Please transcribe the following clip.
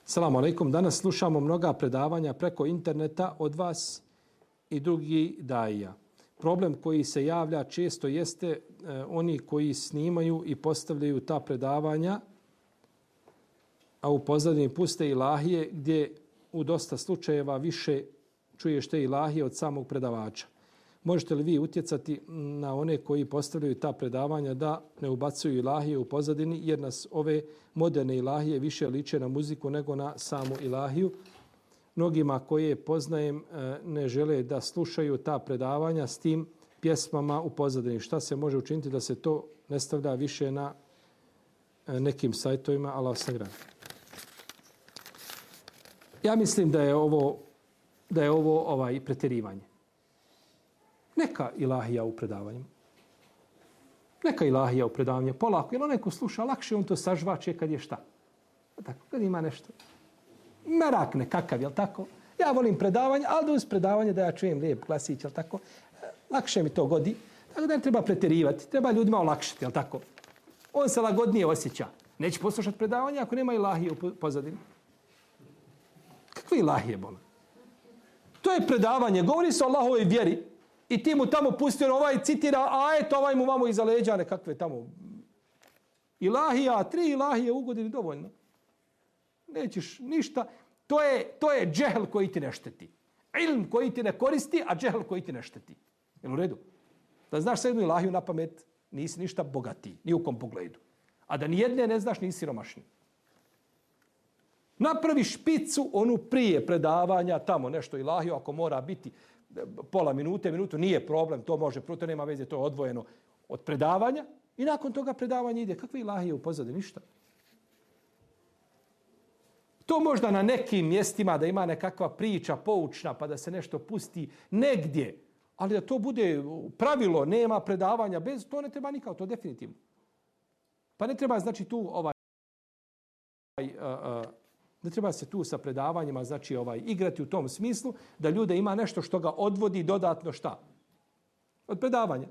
Salamu alaikum. Danas slušamo mnoga predavanja preko interneta od vas i drugi daija. Problem koji se javlja često jeste oni koji snimaju i postavljaju ta predavanja, a u pozadini puste ilahije gdje u dosta slučajeva više čuješ te ilahije od samog predavača. Možete li vi utjecati na one koji postavljaju ta predavanja da ne ubacuju ilahije u pozadini, jer nas ove moderne ilahije više liče na muziku nego na samu ilahiju. Mnogima koje poznajem ne žele da slušaju ta predavanja s tim pjesmama u pozadini. Šta se može učiniti da se to ne stavlja više na nekim sajtovima? Allah sagradi. Ja mislim da je ovo pretjerivanje. Neka ilahija u predavanju. Neka ilahija u predavanju. Polako, jer onaj ko sluša lakše, on to sažvače kad je šta? Tako, kad ima nešto. Merak nekakav, jel tako? Ja volim predavanje, ali da uz predavanje da ja čujem lijep glasić, jel tako? Lakše mi to godi. Tako da ne treba pretjerivati. Treba ljudima olakšati, jel tako? On se lagodnije osjeća. Neće poslušati predavanje ako nema ilahije u pozadini. Kakve ilahije, bola? To je predavanje. Govori se o Allahovoj vjeri. I ti mu tamo pustio, ovaj citira, a eto, ovaj mu vamo iza leđa nekakve tamo. Ilahija, 3 ilahije u godini dovoljno. Nećeš ništa. To je džehl koji ti ne šteti. Ilm koji ti ne koristi, a džehl koji ti ne šteti. Jel u redu? Da znaš sa jednu ilahiju na pamet, nisi ništa bogatiji, ni u kom pogledu. A da nijedne ne znaš, nisi siromašni. Napravi špicu, onu prije predavanja, tamo nešto ilahiju, ako mora biti pola minute, minutu, nije problem, to može, to nema veze, to je odvojeno od predavanja i nakon toga predavanja ide. Kakve ilahije u pozadini? Ništa. To možda na nekim mjestima da ima nekakva priča poučna pa da se nešto pusti negdje, ali da to bude pravilo, nema predavanja, bez to ne treba nikako, to definitivno. Pa ne treba znači tu ne treba se tu sa predavanjima znači igrati u tom smislu da ljude ima nešto što ga odvodi dodatno šta? Od predavanja.